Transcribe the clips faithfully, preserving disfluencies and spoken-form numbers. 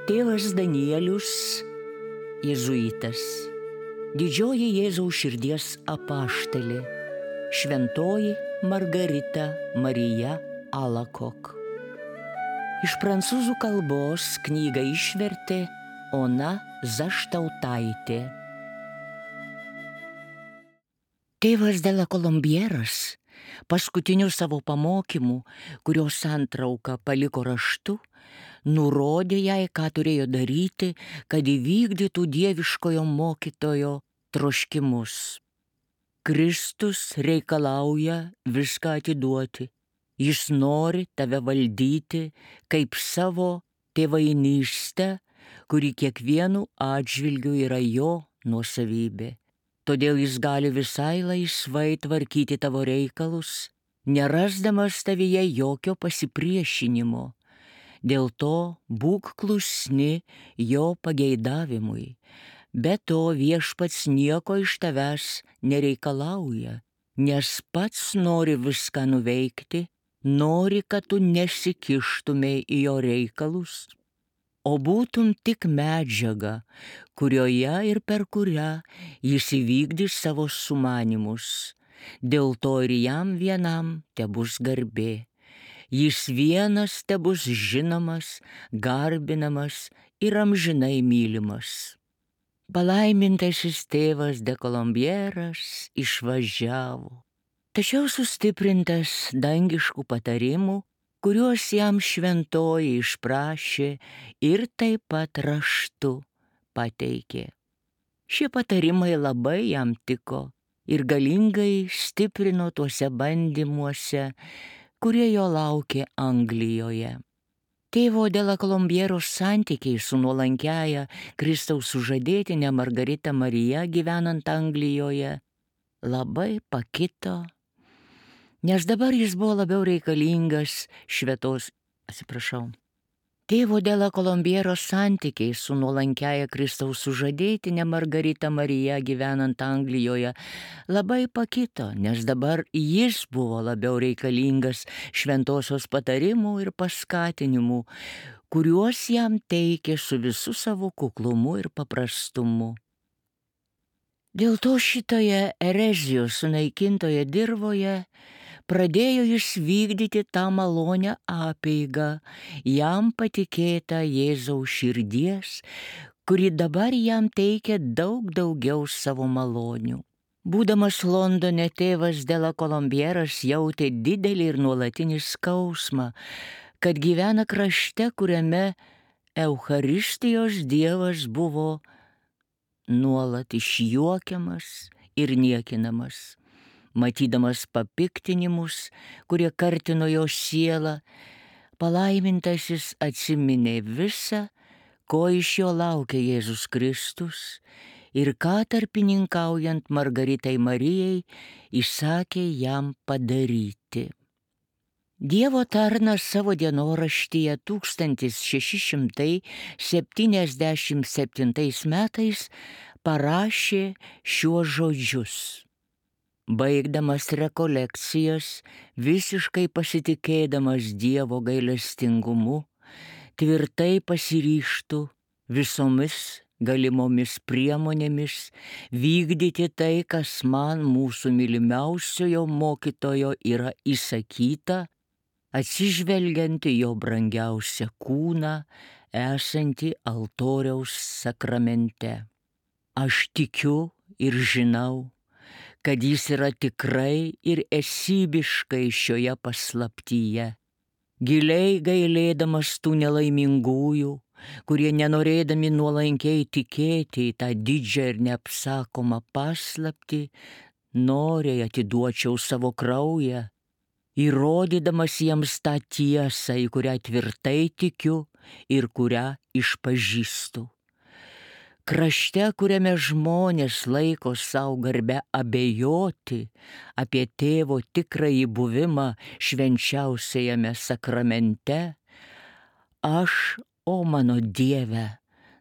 Tėvas Danielius, jėzuitas, didžioji Jėzaus širdies apaštalė, šventoji Margarita Marija Alakok. Iš prancūzų kalbos knygą išvertė Ona Zaštautaitė. Tėvas de la Colombieras paskutiniu savo pamokymu, kurios santrauką paliko raštu, nurodė jai, ką turėjo daryti, kad įvykdytų dieviškojo mokytojo troškimus. Kristus reikalauja viską atiduoti. Jis nori tave valdyti kaip savo tėvainystę, kuri kiekvienu atžvilgiu yra jo nuosavybė. Todėl jis gali visai laisvai tvarkyti tavo reikalus, nerasdamas tavyje jokio pasipriešinimo. Dėl to būk klusni jo pageidavimui. Be to viešpats nieko iš tavęs nereikalauja, nes pats nori viską nuveikti, nori, kad tu nesikištumei į jo reikalus, o būtum tik medžiaga, kurioje ir per kurią jis įvykdys savo sumanymus. Dėl to ir jam vienam tebus garbė. Jis vienas tebus žinomas, garbinamas ir amžinai mylimas. Palaimintasis tėvas de Colombieras išvažiavo, tačiau sustiprintas dangiškų patarimų, kuriuos jam šventoji išprašė ir taip pat raštu pateikė. Šie patarimai labai jam tiko ir galingai stiprino tuose bandymuose, kurie jo laukė Anglijoje. Tėvo de la Colombieros santykiai su nuolankiaja Kristaus sužadėtine Margarita Marija gyvenant Anglijoje labai pakito, nes dabar jis buvo labiau reikalingas šventos, atsiprašau. Tėvo de la Colombieros santykiai su nuolankiaja Kristaus sužadėtine Margarita Marija gyvenant Anglijoje labai pakito, nes dabar jis buvo labiau reikalingas šventosios patarimų ir paskatinimų, kuriuos jam teikė su visu savo kuklumu ir paprastumu. Dėl to šitoje erezijos sunaikintoje dirvoje pradėjo jis vykdyti tą malonę apeigą, jam patikėtą Jėzaus širdies, kuri dabar jam teikia daug daugiau savo malonių. Būdamas Londone, tėvas de la Colombieras jautė didelį ir nuolatinį skausmą, kad gyvena krašte, kuriame Eucharistijos Dievas buvo nuolat išjuokiamas ir niekinamas. Matydamas papiktinimus, kurie kartino jo sielą, palaimintasis atsiminė visą, ko iš jo laukia Jėzus Kristus ir ką tarpininkaujant Margaritai Marijai įsakė jam padaryti. Dievo tarnas savo dienoraštyje tūkstantis šeši šimtai septyniasdešimt septintais metais parašė šiuos žodžius. Baigdamas rekolekcijas, visiškai pasitikėdamas Dievo gailestingumu, tvirtai pasiryžtų visomis galimomis priemonėmis vykdyti tai, kas man mūsų mylimiausiojo mokytojo yra įsakyta, atsižvelgiant į jo brangiausią kūną, esantį altoriaus sakramente. Aš tikiu ir žinau, kad jis yra tikrai ir esybiškai šioje paslaptyje, giliai gailėdamas tų nelaimingųjų, kurie nenorėdami nuolankiai tikėti į tą didžią ir neapsakomą paslaptį, noriai atiduočiau savo kraują, įrodydamas jiems tą tiesą, į kurią tvirtai tikiu ir kurią išpažįstu. Krašte, kuriame žmonės laiko savo garbę abejoti apie tėvo tikrąjį buvimą švenčiausiajame sakramente, aš, o mano Dieve,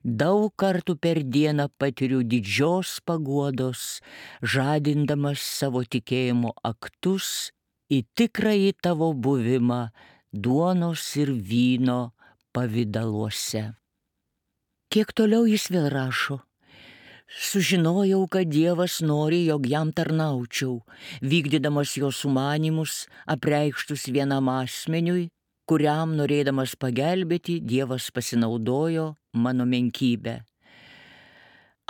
daug kartų per dieną patiriu didžios paguodos, žadindamas savo tikėjimo aktus į tikrąjį tavo buvimą duonos ir vyno pavidaluose. Kiek toliau jis vėl rašo. Sužinojau, kad Dievas nori, jog jam tarnaučiau, vykdydamas jo sumanymus, apreikštus vienam asmeniui, kuriam norėdamas pagelbėti, Dievas pasinaudojo mano menkybę.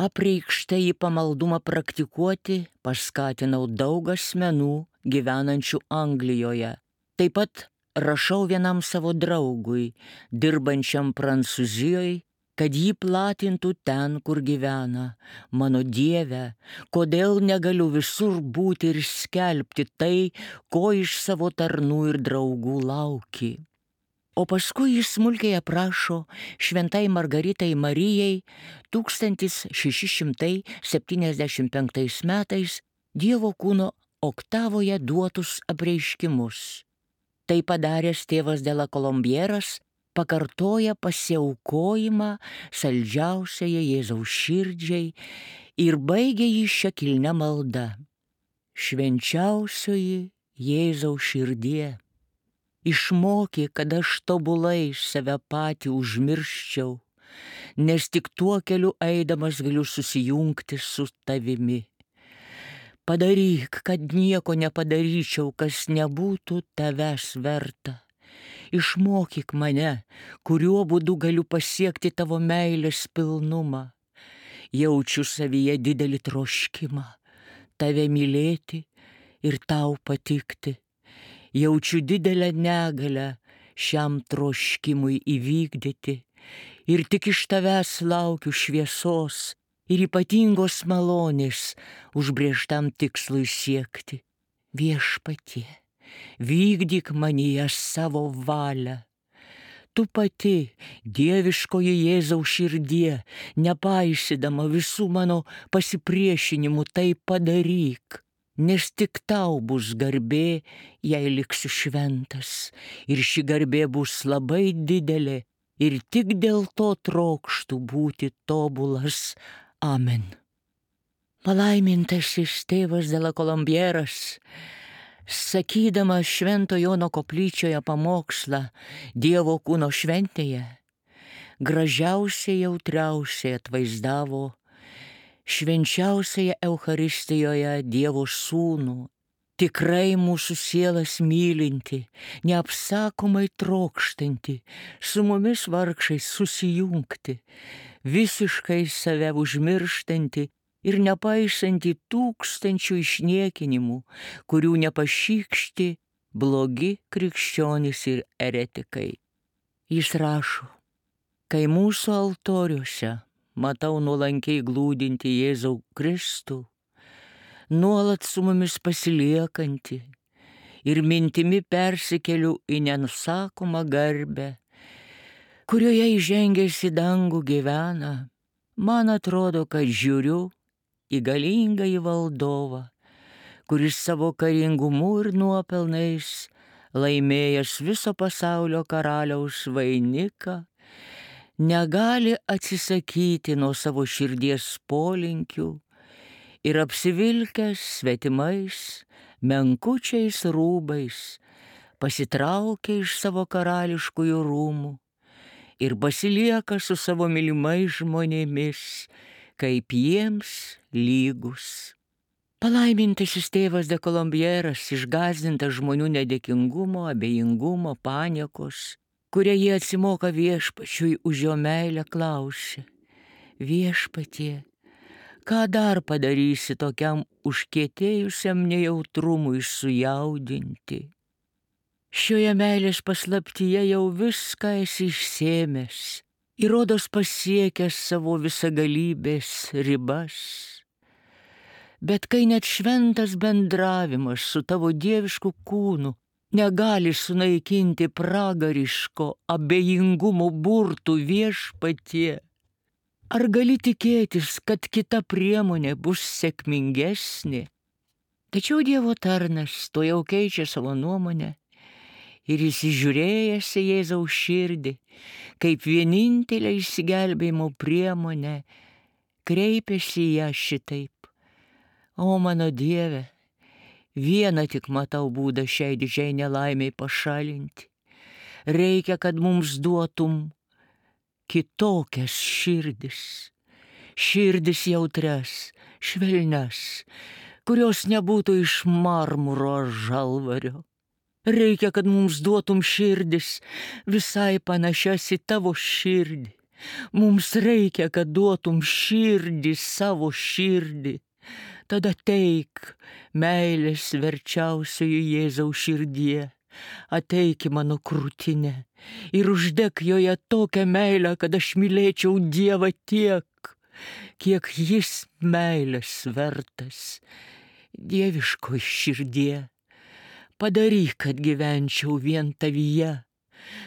Apreikštą į pamaldumą praktikuoti paskatinau daug asmenų gyvenančių Anglijoje. Taip pat rašau vienam savo draugui, dirbančiam Prancūzijoje, kad jį platintų ten, kur gyvena. Mano Dieve, kodėl negaliu visur būti ir skelbti tai, ko iš savo tarnų ir draugų lauki. O paskui jis smulkiai aprašo šventai Margaritai Marijai tūkstantis šeši šimtai septyniasdešimt penktais metais Dievo kūno oktavoje duotus apreiškimus. Tai padaręs tėvas de la Colombieras pakartoja pasiaukojimą saldžiausiai Jėzaus širdžiai ir baigia jį šia kilnia malda. Švenčiausioji Jėzaus širdie, išmoki, kad aš tobulai save patį užmirščiau, nes tik tuo keliu eidamas galiu susijungti su tavimi. Padaryk, kad nieko nepadaryčiau, kas nebūtų tavęs verta. Išmokyk mane, kuriuo būdu galiu pasiekti tavo meilės pilnumą. Jaučiu savyje didelį troškimą, tave mylėti ir tau patikti. Jaučiu didelę negalę šiam troškimui įvykdyti ir tik iš tavęs laukiu šviesos ir ypatingos malonės užbrėžtam tikslui siekti. Viešpatie, vykdyk manyje savo valią. Tu pati, dieviškoji Jėzaus širdie, nepaisydama visų mano pasipriešinimų, tai padaryk, nes tik tau bus garbė, jei liksiu šventas, ir ši garbė bus labai didelė, ir tik dėl to trokštų būti tobulas. Amen. Palaimintasis tėvas de la Colombieras, sakydamas Švento Jono koplyčioje pamokslą Dievo kūno šventėje, gražiausiai jautriausiai atvaizdavo švenčiausioje Eucharistijoje Dievo sūnų, tikrai mūsų sielas mylinti, neapsakomai trokštanti, su mumis vargšais susijungti, visiškai save užmirštanti ir nepaisanti tūkstančių išniekinimų, kurių nepašykšti blogi krikščionys ir eretikai. Jis rašo, kai mūsų altoriuose matau nuolankiai glūdinti Jėzau Kristų, nuolat su mumis pasiliekantį ir mintimi persikeliu į nenusakomą garbę, kurioje įžengęs į dangų gyvena, man atrodo, kad žiūriu į galingąjį valdovą, kuris savo karingumu ir nuopelnais laimėjęs viso pasaulio karaliaus vainiką, negali atsisakyti nuo savo širdies polinkių ir apsivilkęs svetimais, menkučiais rūbais, pasitraukia iš savo karališkųjų rūmų ir pasilieka su savo mylimais žmonėmis, kaip jiems lygus. Palaimintasis tėvas de Colombieras, išgąsdintas žmonių nedėkingumo, abejingumo, paniekos, kurie jie atsimoka viešpačiui už jo meilę, klausė: Viešpatie, ką dar padarysi tokiam užkietėjusiam nejautrumui sujaudinti? Šioje meilės paslaptyje jau viską esi išsėmęs ir rodos pasiekęs savo visagalybės ribas. Bet kai net šventas bendravimas su tavo dievišku kūnu negali sunaikinti pragariško abejingumo burtų, Viešpatie, ar gali tikėtis, kad kita priemonė bus sėkmingesnė? Tačiau Dievo tarnas to jau keičia savo nuomonę ir įsižiūrėjęs į Jėzaus širdį, kaip vienintelę išsigelbėjimo priemonę, kreipėsi į ją šitaip: O mano Dieve, vieną tik matau būdą šiai didžiai nelaimiai pašalinti. Reikia, kad mums duotum kitokias širdis, širdis jautrias, švelnias, kurios nebūtų iš marmuro ar žalvario. Reikia, kad mums duotum širdis visai panašias į tavo širdį. Mums reikia, kad duotum širdį, savo širdį. Tada teik, meilės verčiausioji Jėzaus širdie, ateik į mano krūtinę ir uždek joje tokią meilę, kad aš mylėčiau Dievą tiek, kiek jis meilės vertas. Dieviškoj širdie, padaryk, kad gyvenčiau vien tavyje,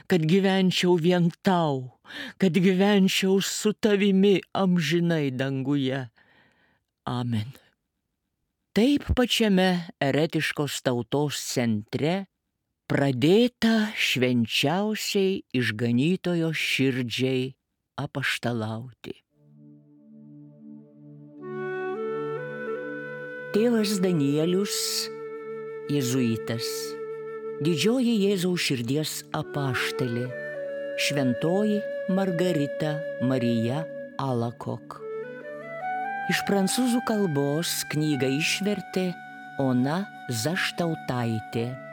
kad gyvenčiau vien tau, kad gyvenčiau su tavimi amžinai danguje. Amen. Taip pačiame eretiškos tautos centre pradėta švenčiausiai išganytojo širdžiai apaštalauti. Tėvas Danielius, jėzuitas, didžioji Jėzaus širdies apaštalė, šventoji Margarita Marija Alakok. Iš prancūzų kalbos knygą išvertė Ona Zaštautaitė.